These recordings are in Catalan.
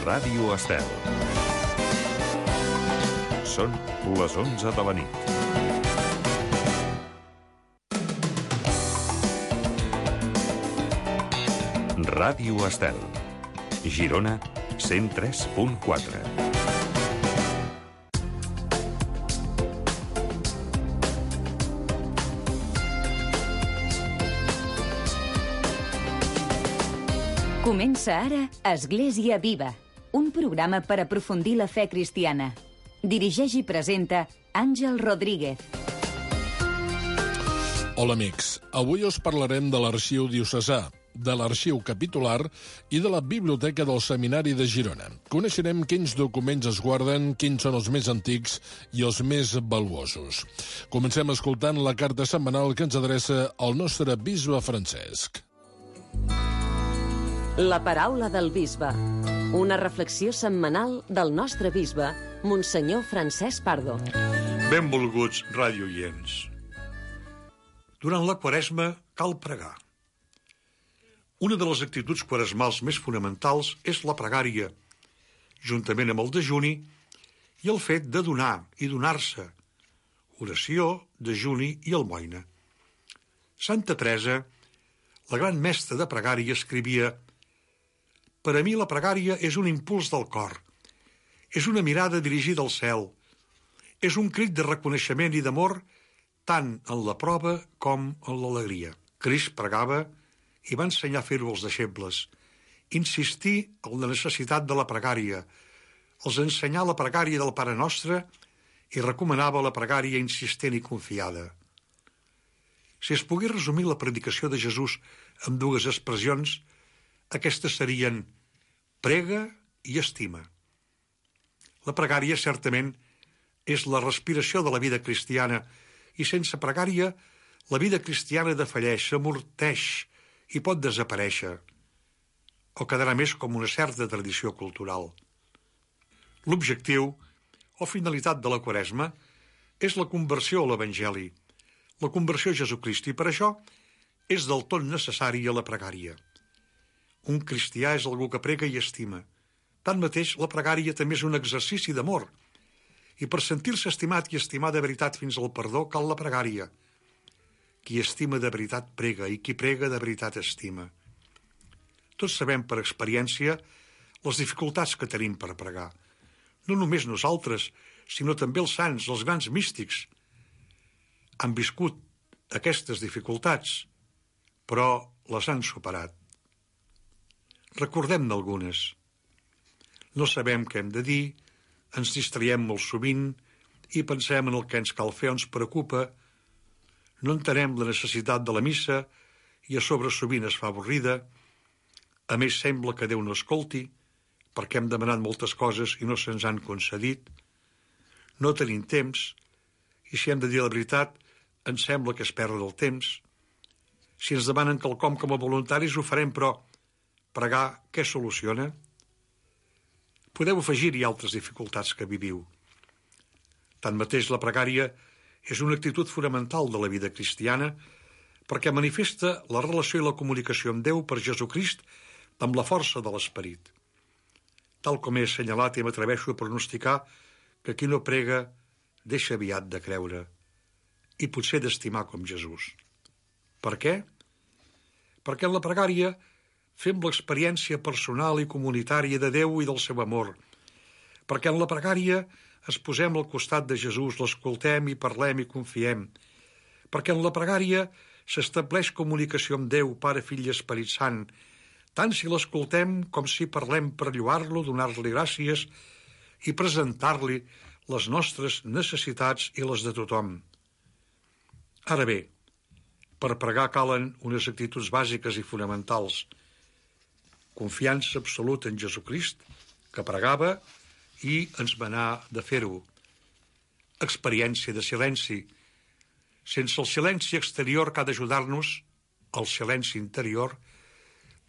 Ràdio Estel. Són les 11 de la nit. Ràdio Estel. Girona, 103.4. Comença ara Església Viva, un programa per aprofundir la fe cristiana. Dirigeix i presenta Àngel Rodríguez. Hola amics, avui us parlarem de l'arxiu diocesà, de l'arxiu capitular i de la biblioteca del Seminari de Girona. Coneixerem quins documents es guarden, quins són els més antics i els més valuosos. Comencem escoltant la carta setmanal que ens adreça el nostre bisbe Francesc. La paraula del bisbe. Una reflexió setmanal del nostre bisbe, Monsenyor Francesc Pardo. Benvolguts radioients. Durant la Quaresma cal pregar. Una de les actituds quaresmals més fonamentals és la pregària, juntament amb el dejuni i el fet de donar i donar-se. Oració, dejuni i almoina. Santa Teresa, la gran mestra de pregària, escrivia: «Per a mi la pregària és un impuls del cor, és una mirada dirigida al cel, és un crit de reconeixement i d'amor tant en la prova com en l'alegria». Crist pregava i va ensenyar a fer-ho als deixebles, insistir en la necessitat de la pregària, els ensenyar la pregària del Pare Nostre i recomanava la pregària insistent i confiada. Si es pogués resumir la predicació de Jesús amb dues expressions, aquestes serien prega i estima. La pregària, certament, és la respiració de la vida cristiana i sense pregària la vida cristiana defalleix, s'amorteix i pot desaparèixer o quedarà més com una certa tradició cultural. L'objectiu o finalitat de la Quaresma és la conversió a l'Evangeli, la conversió a Jesucrist, i per això és del tot necessària la pregària. Un cristià és algú que prega i estima. Tanmateix, la pregària també és un exercici d'amor. I per sentir-se estimat i estimar de veritat fins al perdó cal la pregària. Qui estima de veritat prega i qui prega de veritat estima. Tots sabem per experiència les dificultats que tenim per pregar. No només nosaltres, sinó també els sants, els grans místics. Han viscut aquestes dificultats, però les han superat. Recordem-ne algunes. No sabem què hem de dir, ens distraiem molt sovint i pensem en el que ens cal fer o ens preocupa. No entenem la necessitat de la missa i a sobre sovint es fa avorrida. A més, sembla que Déu no escolti, perquè hem demanat moltes coses i no se'ns han concedit. No tenim temps, i si hem de dir la veritat, ens sembla que es perd el temps. Si ens demanen quelcom com a voluntaris, ho farem, però pregar, què soluciona? Podeu afegir-hi altres dificultats que viviu. Tanmateix, la pregària és una actitud fonamental de la vida cristiana perquè manifesta la relació i la comunicació amb Déu per Jesucrist amb la força de l'Esperit. Tal com he assenyalat i m'atreveixo a pronosticar que qui no prega deixa aviat de creure i potser d'estimar com Jesús. Per què? Perquè en la pregària fem l'experiència personal i comunitària de Déu i del seu amor, perquè en la pregària ens posem al costat de Jesús, l'escoltem i parlem i confiem, perquè en la pregària s'estableix comunicació amb Déu, Pare, Fill i Esperit Sant, tant si l'escoltem com si parlem per lloar-lo, donar-li gràcies i presentar-li les nostres necessitats i les de tothom. Ara bé, per pregar calen unes actituds bàsiques i fonamentals. Confiança absoluta en Jesucrist, que pregava i ens manà de fer-ho. Experiència de silenci. Sense el silenci exterior que ha d'ajudar-nos, el silenci interior,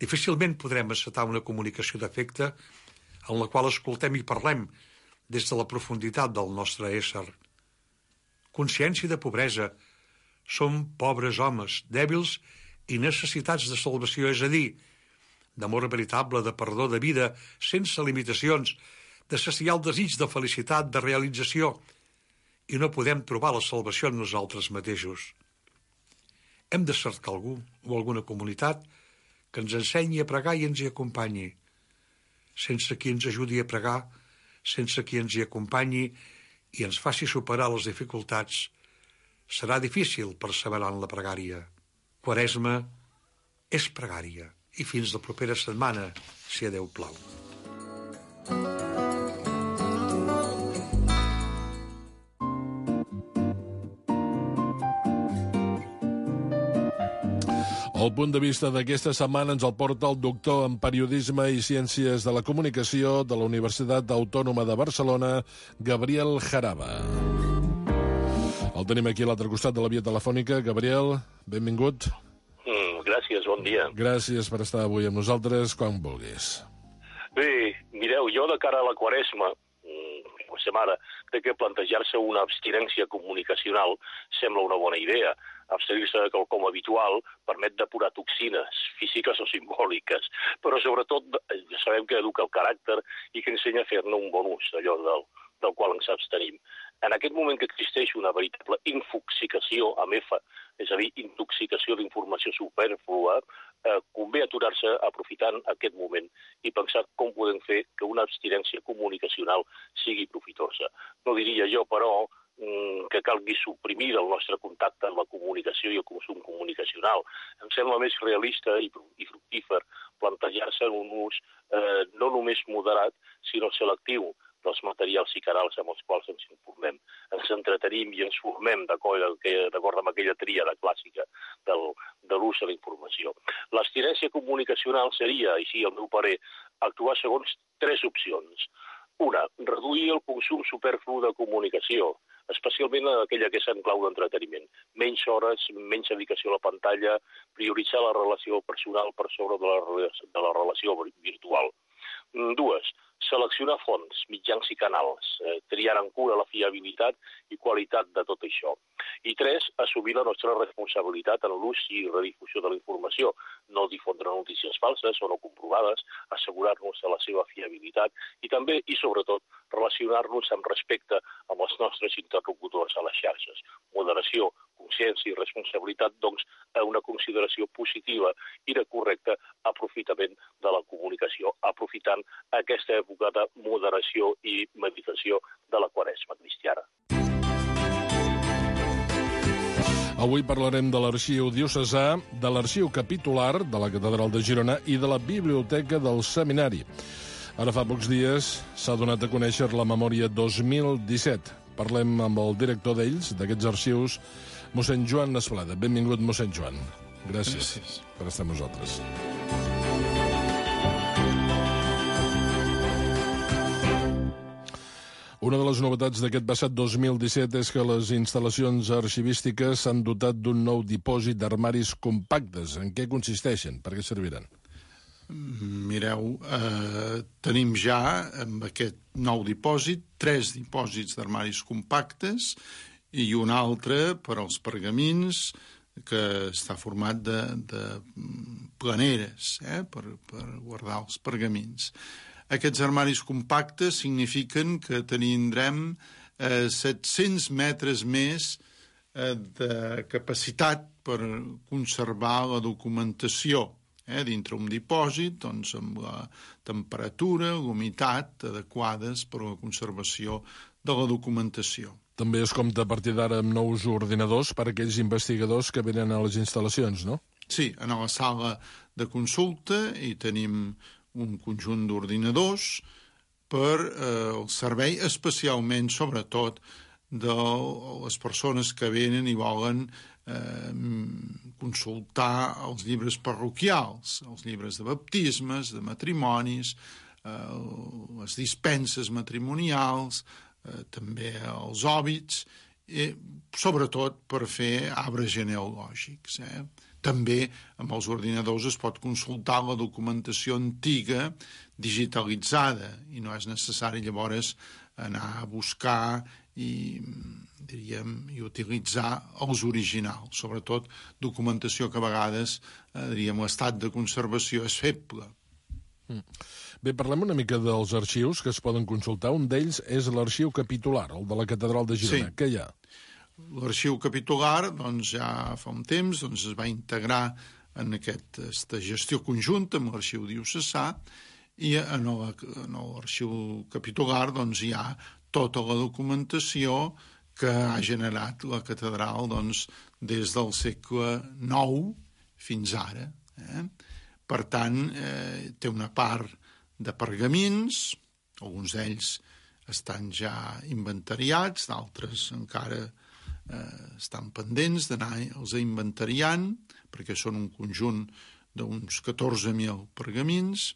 difícilment podrem encetar una comunicació d'afecte en la qual escoltem i parlem des de la profunditat del nostre ésser. Consciència de pobresa. Som pobres homes, dèbils i necessitats de salvació, és a dir, d'amor veritable, de perdó, de vida, sense limitacions, de saciar el desig de felicitat, de realització, i no podem trobar la salvació en nosaltres mateixos. Hem de cercar algú o alguna comunitat que ens ensenyi a pregar i ens hi acompanyi. Sense qui ens ajudi a pregar, sense qui ens hi acompanyi i ens faci superar les dificultats, serà difícil perseverar en la pregària. Quaresma és pregària. I fins la propera setmana, si a Déu plau. El punt de vista d'aquesta setmana ens el porta el doctor en Periodisme i Ciències de la Comunicació de la Universitat Autònoma de Barcelona, Gabriel Jaraba. El tenim aquí a l'altre costat de la via telefònica. Gabriel, benvingut. Gràcies, bon dia. Gràcies per estar avui amb nosaltres, quan vulguis. Bé, mireu, jo de cara a la Quaresma, com ara, que plantejar-se una abstinència comunicacional sembla una bona idea. Abstenir-se de quelcom habitual permet depurar toxines físiques o simbòliques, però sobretot sabem que educa el caràcter i que ensenya a fer-ne un bon ús, allò del qual ens abstenim. En aquest moment que existeix una veritable infoxicació amb F, és a dir, intoxicació d'informació superflua, convé aturar-se aprofitant aquest moment i pensar com podem fer que una abstinència comunicacional sigui profitosa. No diria jo, però, que calgui suprimir el nostre contacte amb la comunicació i el consum comunicacional. Em sembla més realista i fructífer plantejar-se un ús no només moderat, sinó selectiu dels materials i canals amb els quals ens informem. Ens entretenim i ens formem d'acord amb aquella tríada clàssica de l'ús de la informació. L'abstinència comunicacional seria, així al meu parer, actuar segons 3 opcions. Una, reduir el consum superflu de comunicació, especialment aquella que és en clau d'entreteniment. Menys hores, menys dedicació a la pantalla, prioritzar la relació personal per sobre de la relació virtual. 2, seleccionar fonts, mitjans i canals, triar en cura la fiabilitat i qualitat de tot això. I 3, assumir la nostra responsabilitat en l'ús i redifusió de la informació, no difondre notícies falses o no comprovades, assegurar-nos de la seva fiabilitat i també, i sobretot, relacionar-nos amb respecte amb els nostres interlocutors a les xarxes. Moderació, consciència i responsabilitat, doncs, a una consideració positiva i de correcte aprofitament de la comunicació, aprofitant aquesta època de moderació i meditació de la Quaresma cristiana. Avui parlarem de l'arxiu diocesà, de l'arxiu capitular de la Catedral de Girona i de la Biblioteca del Seminari. Ara fa pocs dies s'ha donat a conèixer la memòria 2017. Parlem amb el director d'ells, d'aquests arxius, mossèn Joan Esplada. Benvingut, mossèn Joan. Gràcies per estar amb nosaltres. Una de les novetats d'aquest passat 2017 és que les instal·lacions arxivístiques s'han dotat d'un nou dipòsit d'armaris compactes. En què consisteixen? Per què serviran? Mireu, tenim ja amb aquest nou dipòsit 3 dipòsits d'armaris compactes i un altre per als pergamins que està format de planeres per guardar els pergamins. Aquests armaris compactes signifiquen que tindrem 700 metres més de capacitat per conservar la documentació dintre un dipòsit, doncs, amb la temperatura, l'humitat adequades per a la conservació de la documentació. També es compta a partir d'ara amb nous ordinadors per a aquells investigadors que venen a les instal·lacions, no? Sí, a la sala de consulta hi tenim un conjunt d'ordinadors per el servei, especialment, sobretot, de les persones que venen i volen consultar els llibres parroquials, els llibres de baptismes, de matrimonis, les dispenses matrimonials, també els òbits, sobretot per fer arbres genealògics. També amb els ordinadors es pot consultar la documentació antiga digitalitzada i no és necessari llavors anar a buscar i utilitzar els originals, sobretot documentació que a vegades, l'estat de conservació és feble. Bé, parlem una mica dels arxius que es poden consultar. Un d'ells és l'arxiu capitular, el de la Catedral de Girona. Sí. Què hi ha? L'arxiu capitular, doncs, ja fa un temps es va integrar en aquesta gestió conjunta amb l'arxiu diocesà, i en l'arxiu capitular doncs, hi ha tota la documentació que ha generat la catedral doncs, des del segle IX fins ara. Per tant, té una part de pergamins, alguns d'ells estan ja inventariats, d'altres encara estan pendents d'anar-los inventariant, perquè són un conjunt d'uns 14.000 pergamins.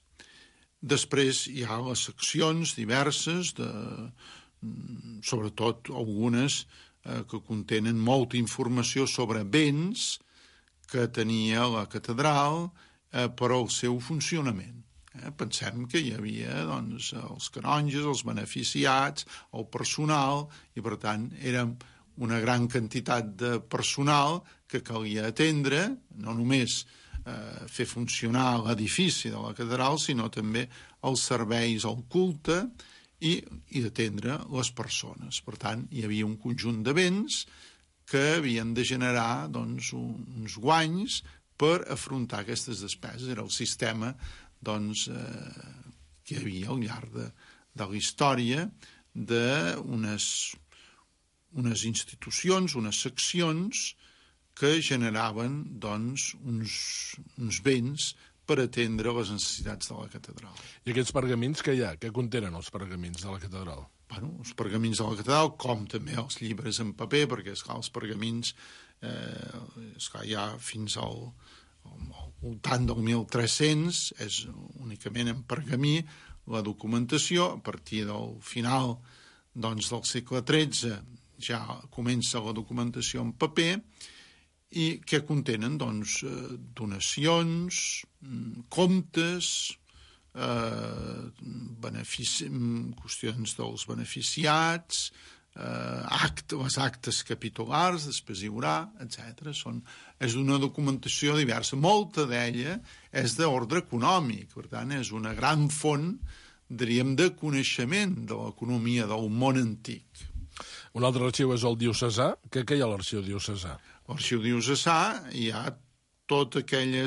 Després hi ha les seccions diverses, sobretot algunes que contenen molta informació sobre béns que tenia la catedral per al seu funcionament. Pensem que hi havia doncs, els canonges, els beneficiats, el personal, i per tant era una gran quantitat de personal que calia atendre, no només fer funcionar l'edifici de la catedral, sinó també els serveis al culte i d'atendre les persones. Per tant, hi havia un conjunt de béns que havien de generar doncs, uns guanys per afrontar aquestes despeses. Era el sistema doncs, que hi havia al llarg de la història d'unes institucions, unes seccions que generaven doncs, uns béns per atendre les necessitats de la catedral. I aquests pergamins que hi ha? Què contenen els pergamins de la catedral? Bueno, els pergamins de la catedral, com també els llibres en paper, perquè esclar, els pergamins ja fins al voltant del 1300 és únicament en pergamí la documentació. A partir del final doncs, del segle XIII ja comença la documentació en paper, i que contenen doncs, donacions, comptes, qüestions dels beneficiats, les actes capitulars, després hi haurà, etc. És una documentació diversa. Molta d'ella és d'ordre econòmic, per tant, és una gran font, diríem, de coneixement de l'economia del món antic. Un altre arxiu és el diocesà. Què hi ha a l'arxiu diocesà? L'arxiu diocesà hi ha tota aquella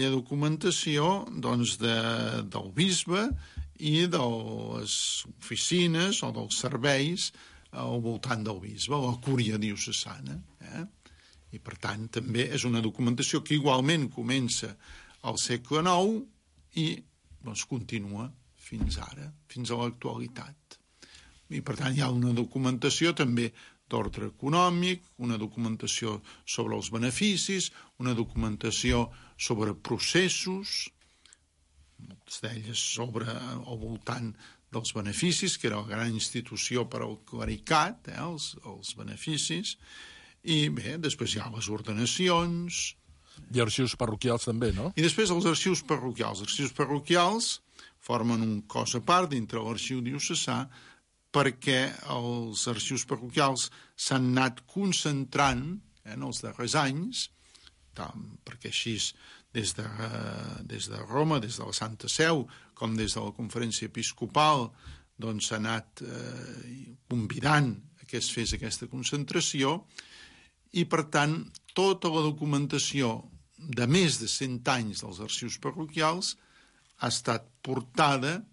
documentació doncs, del bisbe i de les oficines o dels serveis al voltant del bisbe, la cúria diocesana. I, per tant, també és una documentació que igualment comença al segle IX i doncs, continua fins ara, fins a l'actualitat. I, per tant, hi ha una documentació també d'ordre econòmic, una documentació sobre els beneficis, una documentació sobre processos, moltes d'elles al voltant dels beneficis, que era la gran institució per al clericat, els beneficis, i bé, després hi ha les ordenacions. I arxius parroquials també, no? I després els arxius parroquials. Els arxius parroquials formen un cos a part dintre l'arxiu diocesà, perquè els arxius parroquials s'han anat concentrant en els darrers anys, perquè així des de Roma, des de la Santa Seu, com des de la Conferència Episcopal, doncs s'ha anat convidant que es fes aquesta concentració, i per tant tota la documentació de més de 100 anys dels arxius parroquials ha estat portada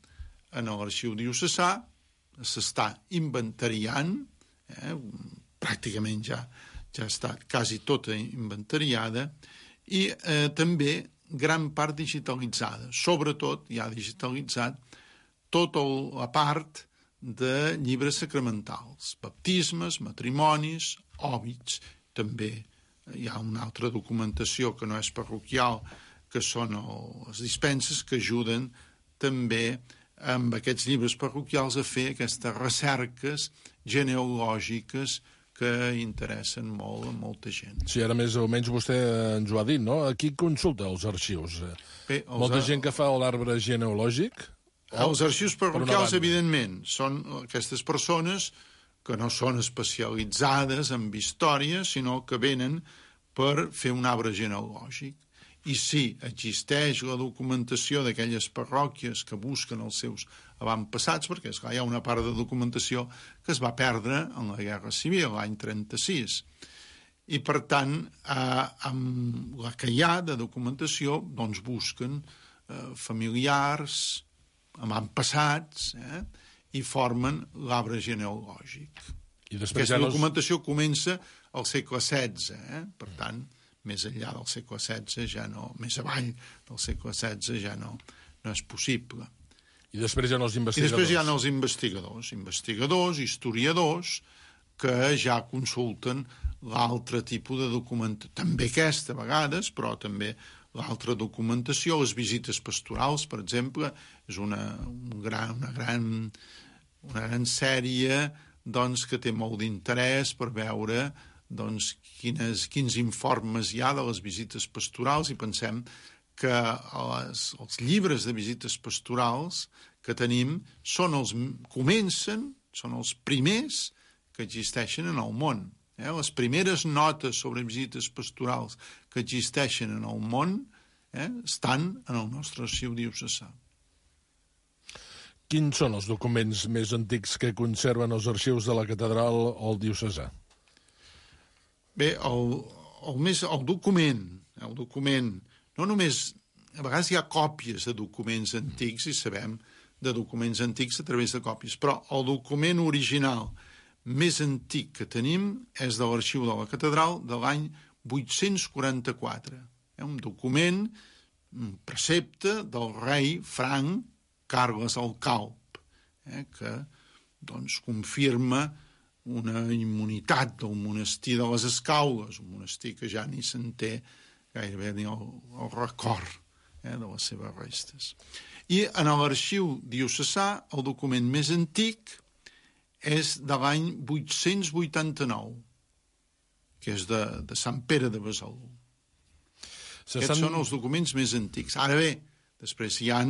en l'arxiu diocesà, s'està inventariant, pràcticament ja ha estat quasi tota inventariada, i també gran part digitalitzada. Sobretot hi ha digitalitzat tota la part de llibres sacramentals, baptismes, matrimonis, òbits. També hi ha una altra documentació que no és parroquial, que són les dispenses, que ajuden també amb aquests llibres parroquials a fer aquestes recerques genealògiques que interessen molt a molta gent. Sí, ara més o menys vostè ens ho ha dit, no? Qui consulta els arxius? Bé, molta gent que fa l'arbre genealògic? Els arxius parroquials, evidentment, són aquestes persones que no són especialitzades en història, sinó que venen per fer un arbre genealògic. i sí, existeix la documentació d'aquelles parròquies que busquen els seus avantpassats, perquè esclar, hi ha una part de documentació que es va perdre en la Guerra Civil, l'any 36. I, per tant, amb la que hi ha de documentació, doncs busquen familiars, avantpassats, i formen l'arbre genealògic. I després Aquesta documentació comença al segle XVI, per tant, més enllà del segle XVI ja no, més avall del segle XVI ja no és possible. I després hi ha els investigadors. I després hi ha els investigadors, historiadors, que ja consulten l'altre tipus de documentació, també aquesta a vegades, però també l'altra documentació, les visites pastorals, per exemple, és una gran sèrie doncs, que té molt d'interès per veure doncs, quins informes hi ha de les visites pastorals, i pensem que els llibres de visites pastorals que tenim són els primers que existeixen en el món. Les primeres notes sobre visites pastorals que existeixen en el món estan en el nostre arxiu diocesà. Quins són els documents més antics que conserven els arxius de la catedral o el diocesà? Bé, el document, no només, a vegades hi ha còpies de documents antics i sabem de documents antics a través de còpies, però el document original més antic que tenim és de l'arxiu de la catedral de l'any 844. Un document, un precepte del rei franc Carles el Calb, que doncs, confirma una immunitat del monestir de les Escaules, un monestir que ja ni se'n té gairebé ni el record de les seves restes. I en l'arxiu diocesà el document més antic és de l'any 889, que és de Sant Pere de Besalú. Aquests són els documents més antics. Ara bé, després hi ha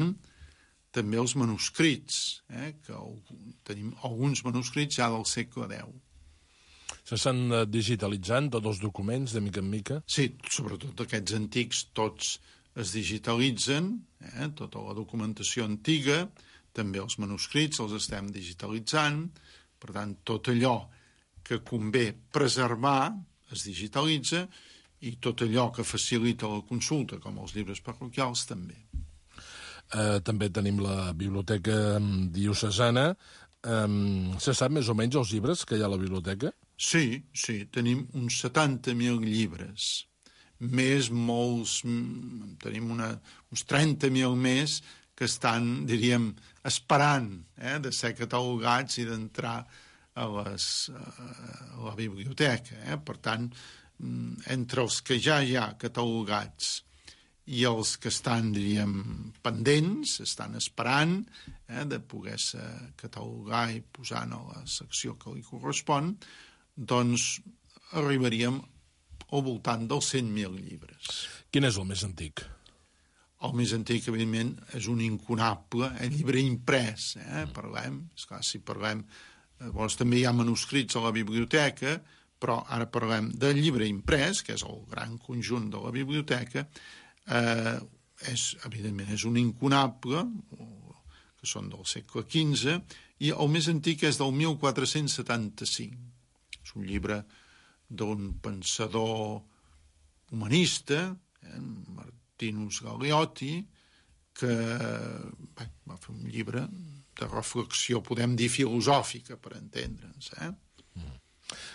també els manuscrits, que tenim alguns manuscrits ja del segle X. S'estan digitalitzant tots els documents de mica en mica? Sí, sobretot aquests antics tots es digitalitzen, tota la documentació antiga, també els manuscrits els estem digitalitzant, per tant, tot allò que convé preservar es digitalitza i tot allò que facilita la consulta, com els llibres parroquials, també. També tenim la biblioteca diocesana. Se sap més o menys els llibres que hi ha a la biblioteca? Sí, tenim uns 70.000 llibres. Més molts, tenim uns 30.000 més que estan, diríem, esperant de ser catalogats i d'entrar a la biblioteca. Per tant, entre els que ja hi ha catalogats i els que estan, diríem, pendents, estan esperant de poder-se catalogar i posar en la secció que li correspon, doncs arribaríem al voltant dels 100.000 llibres. Quin és el més antic? El més antic, evidentment, és un incunable llibre imprès. Parlem, esclar, si parlem... Llavors també hi ha manuscrits a la biblioteca, però ara parlem del llibre imprès, que és el gran conjunt de la biblioteca. Evidentment és un incunable, que són del segle XV, i el més antic és del 1475. És un llibre d'un pensador humanista, Martinus Galeotti, que va fer un llibre de reflexió, podem dir filosòfica, per entendre'ns.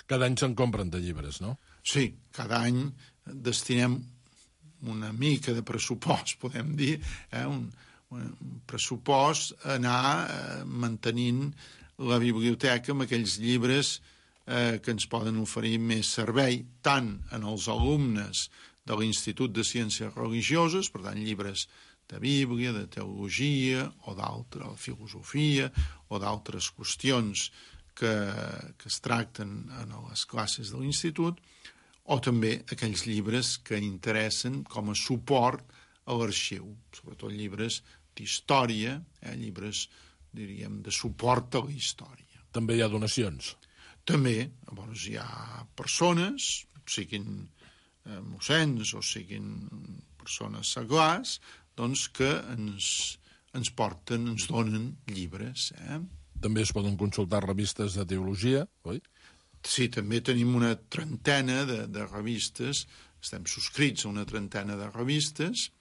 Cada any se'n compren de llibres, no? Sí, cada any destinem una mica de pressupost, podem dir, un pressupost a anar mantenint la biblioteca amb aquells llibres que ens poden oferir més servei, tant en els alumnes de l'Institut de Ciències Religioses, per tant, llibres de Bíblia, de teologia, o d'altra filosofia, o d'altres qüestions que es tracten en les classes de l'Institut, o també aquells llibres que interessen com a suport a l'arxiu, sobretot llibres d'història, llibres, diríem, de suport a la història. També hi ha donacions? També, llavors hi ha persones, siguin mossens o siguin persones seglars, doncs que ens porten, ens donen llibres. També es poden consultar revistes de teologia, oi? Sí, també tenim una trentena de revistes, estem subscrits a una trentena de revistes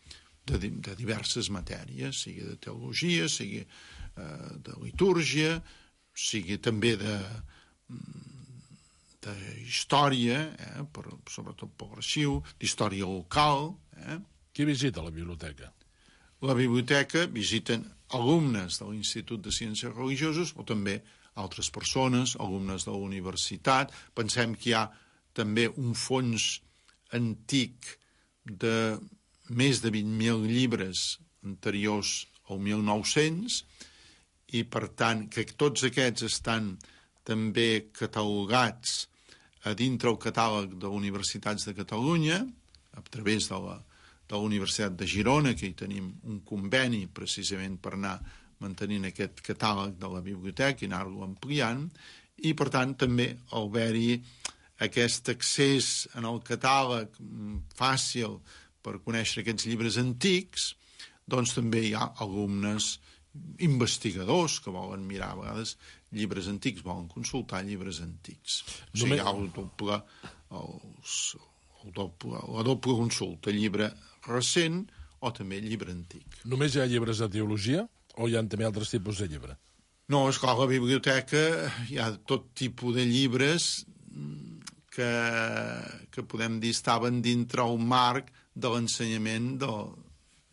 de diverses matèries, sigui de teologia, sigui de litúrgia, sigui també de història, sobretot per l'arxiu, d'història local. Qui visita la biblioteca? La biblioteca visiten alumnes de l'Institut de Ciències Religioses o també altres persones, alumnes de la universitat. Pensem que hi ha també un fons antic de més de 20.000 llibres anteriors al 1900 i, per tant, que tots aquests estan també catalogats a dintre el catàleg de universitats de Catalunya, a través de la Universitat de Girona, que hi tenim un conveni precisament per anar mantenint aquest catàleg de la biblioteca i anar-lo ampliant, i, per tant, també al haver-hi aquest accés en el catàleg fàcil per conèixer aquests llibres antics, doncs també hi ha alumnes investigadors que volen mirar a vegades llibres antics, volen consultar llibres antics. O sigui, hi ha la doble consulta, llibre recent o també llibre antic. Només hi ha llibres de teologia o hi ha també altres tipus de llibre? No, esclar, a la biblioteca hi ha tot tipus de llibres que podem dir estaven dintre el marc de l'ensenyament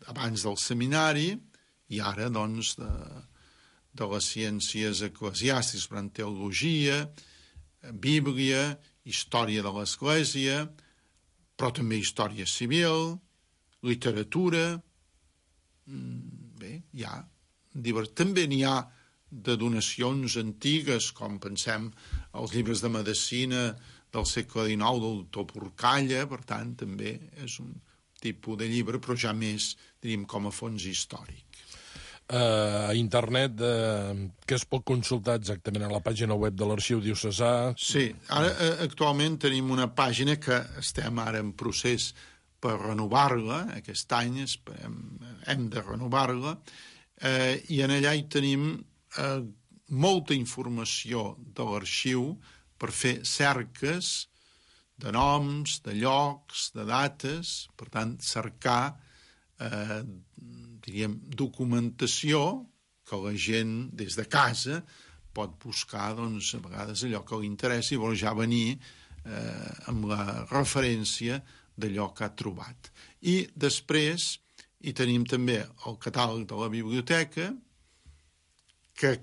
abans del seminari i ara, doncs, de les ciències eclesiàstiques, per tant, teologia, Bíblia, història de l'Església, però també història civil, literatura. Bé, hi ha també n'hi ha de donacions antigues, com pensem els llibres de medicina del segle XIX del doctor Porcalla, per tant, també és un tipus de llibre, però ja més, diríem, com a fons històric. A internet, què es pot consultar exactament a la pàgina web de l'Arxiu Diocesà? Sí, ara actualment tenim una pàgina que estem ara en procés per renovar-la, aquest any hem de renovar-la, i en allà hi tenim molta informació de l'arxiu per fer cerques de noms, de llocs, de dates, per tant, cercar diríem, documentació que la gent des de casa pot buscar, doncs, a vegades allò que li interessa i vol ja venir amb la referència d'allò que ha trobat. I després hi tenim també el catàleg de la biblioteca, que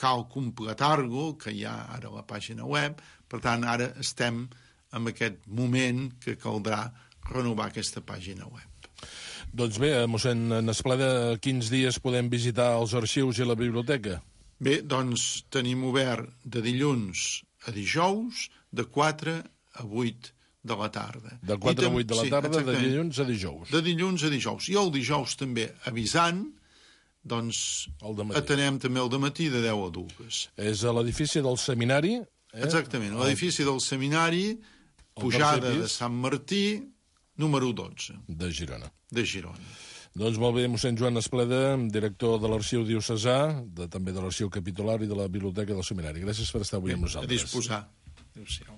cal completar-lo, que hi ha ara a la pàgina web, per tant, ara estem en aquest moment que caldrà renovar aquesta pàgina web. Doncs bé, mossèn Nespleda, quins dies podem visitar els arxius i la biblioteca? Bé, doncs tenim obert de dilluns a dijous, de 4 a 8 de la tarda. De 4 a 8 de la tarda, de dilluns a dijous. De dilluns a dijous. I el dijous també avisant, doncs atenem també el dematí de 10 a 2. És a l'edifici del seminari? Exactament, l'edifici del seminari, pujada de Sant Martí, número 12. De Girona. De Girona. Doncs molt bé, mossèn Joan Nespleda, director de l'Arxiu Diocesà, també de l'Arxiu Capitular i de la Biblioteca del Seminari. Gràcies per estar avui amb nosaltres. A disposar. Adéu-siau.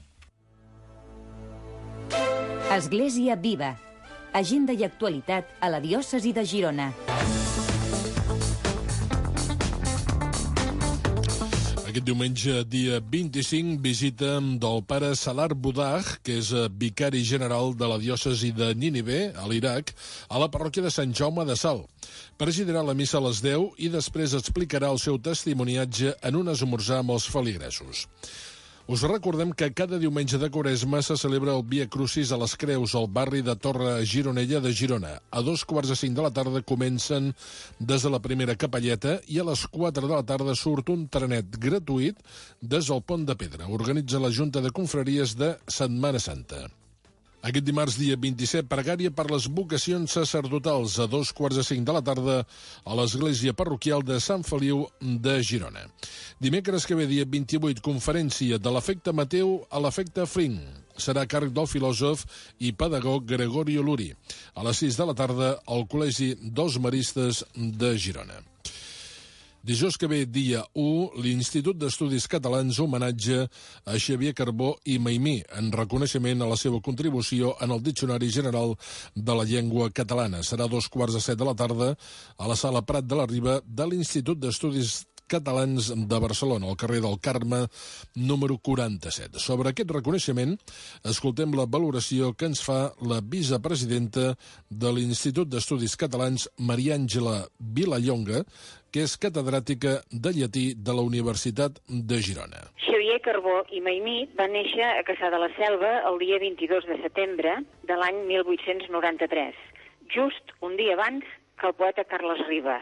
Església Viva. Agenda i actualitat a la diòcesi de Girona. Aquest diumenge, dia 25, visita del pare Salar Budaj, que és vicari general de la diòcesi de Nínive, a l'Iraq, a la parròquia de Sant Jaume de Sal. Presidirà la missa a les 10 i després explicarà el seu testimoniatge en un esmorzar amb els feligresos. Us recordem que cada diumenge de Quaresma se celebra el Via Crucis a les Creus, al barri de Torre Gironella de Girona. A 2:45 de la tarda comencen des de la primera capelleta i a les 4 de la tarda surt un trenet gratuït des del Pont de Pedra. Organitza la Junta de Confraries de Setmana Santa. Aquest dimarts, dia 27, pregària per les vocacions sacerdotals a 2:45 de la tarda a l'església parroquial de Sant Feliu de Girona. Dimecres que ve, dia 28, conferència de l'efecte Mateu a l'efecte Fring. serà a càrrec del filòsof i pedagog Gregorio Luri. A les 6 de la tarda, al Col·legi dels Maristes de Girona. Dijous que ve, dia 1, l'Institut d'Estudis Catalans homenatge a Xavier Carbó i Maimí en reconeixement a la seva contribució en el Diccionari General de la Llengua Catalana. Serà a 2:15 de la tarda a la Sala Prat de la Riba de l'Institut d'Estudis Catalans de Barcelona, al carrer del Carme, número 47. Sobre aquest reconeixement, escoltem la valoració que ens fa la vicepresidenta de l'Institut d'Estudis Catalans, Maria Àngela Vilallonga, que és catedràtica de llatí de la Universitat de Girona. Xavier Carbó i Maimí va néixer a Cassà de la Selva el dia 22 de setembre de l'any 1893, just un dia abans que el poeta Carles Riba.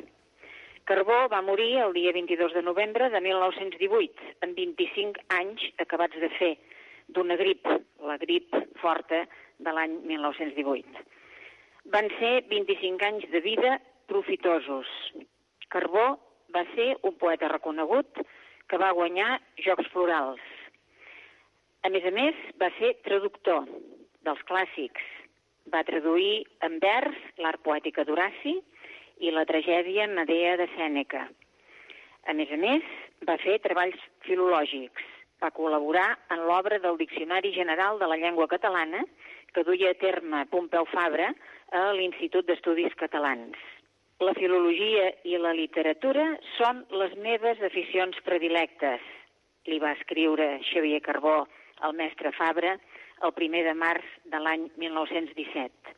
Carbó va morir el dia 22 de novembre de 1918, amb 25 anys acabats de fer, d'una grip, la grip forta de l'any 1918. Van ser 25 anys de vida profitosos. Carbó va ser un poeta reconegut que va guanyar Jocs Florals. A més, va ser traductor dels clàssics. Va traduir en vers l'art poètica d'Horaci i la tragèdia Medea de Sèneca. A més, va fer treballs filològics. Va col·laborar en l'obra del Diccionari General de la Llengua Catalana que duia a terme Pompeu Fabra a l'Institut d'Estudis Catalans. La filologia i la literatura són les meves aficions predilectes, li va escriure Xavier Carbó al mestre Fabra el 1 de març de l'any 1917.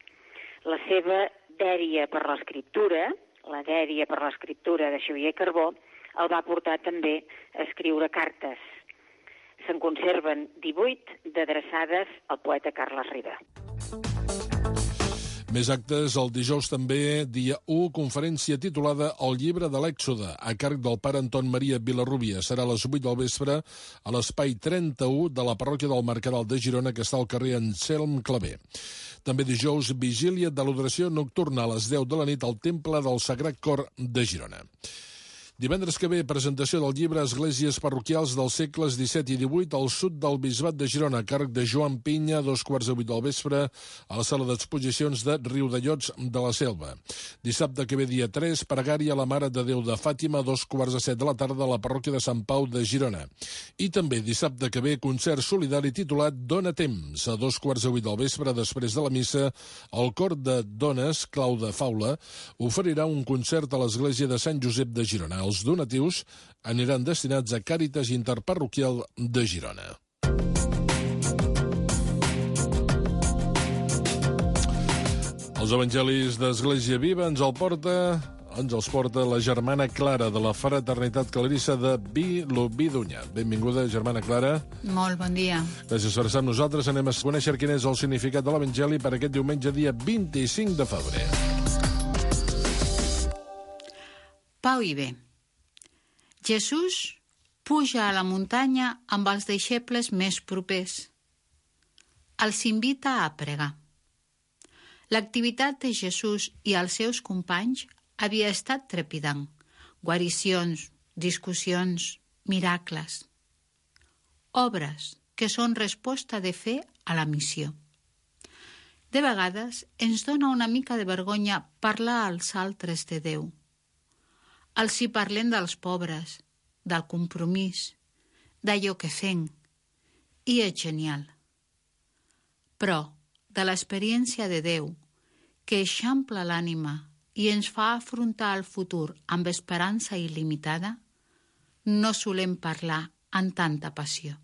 La seva dèria per l'escriptura, la dèria per l'escriptura de Xavier Carbó, el va portar també a escriure cartes. Se'n conserven 18 d'adreçades al poeta Carles Riba. Més actes el dijous també, dia 1, conferència titulada El llibre de l'Èxode, a càrrec del pare Anton Maria Vilarrubia. Serà a les 8 del vespre a l'espai 31 de la parròquia del Mercadal de Girona, que està al carrer Anselm Clavé. També dijous, vigília de l'adoració nocturna a les 10 de la nit al Temple del Sagrat Cor de Girona. Divendres que ve, presentació del llibre Esglésies parroquials dels segles XVII i XVIII al sud del Bisbat de Girona, a càrrec de Joan Pinya, 7:15 del vespre, a la sala d'exposicions de Riudellots de la Selva. Dissabte que ve, dia 3, pregària a la Mare de Déu de Fàtima, 2:15 de la tarda, a la parròquia de Sant Pau de Girona. I també dissabte que ve, concert solidari titulat Dona Temps, a 2:15 del vespre, després de la missa, el cor de dones, Clau de Faula, oferirà un concert a l'església de Sant Josep de Girona. Els donatius aniran destinats a Càritas Interparroquial de Girona. Els evangelis d'Església Viva ens els porta la germana Clara de la Fraternitat Clarissa de Vilobí d'Onyar. Benvinguda, germana Clara. Molt bon dia. Gràcies per estar amb nosaltres. Anem a conèixer quin és el significat de l'Evangeli per aquest diumenge, dia 25 de febrer. Pau i bé. Jesús puja a la muntanya amb els deixebles més propers. Els invita a pregar. L'activitat de Jesús i els seus companys havia estat trepidant. Guaricions, discussions, miracles. Obres que són resposta de fe a la missió. De vegades ens dona una mica de vergonya parlar als altres de Déu. Els hi parlem dels pobres, del compromís, d'allò que fem, i és genial. Però de l'experiència de Déu, que eixampla l'ànima i ens fa afrontar el futur amb esperança il·limitada, no solem parlar amb tanta passió.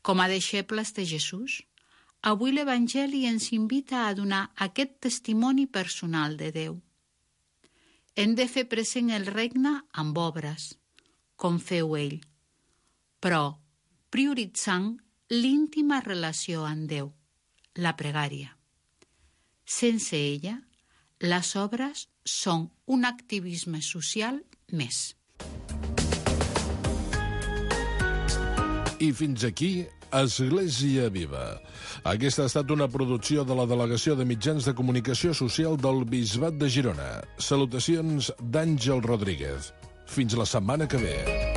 Com a deixebles de Jesús, avui l'Evangeli ens invita a donar aquest testimoni personal de Déu. Hem de fer present el regne amb obres, com feu ell, però prioritzant l'íntima relació amb Déu, la pregària. Sense ella, les obres són un activisme social més. I fins aquí Església Viva. Aquesta ha estat una producció de la Delegació de Mitjans de Comunicació Social del Bisbat de Girona. Salutacions d'Àngel Rodríguez. Fins la setmana que ve.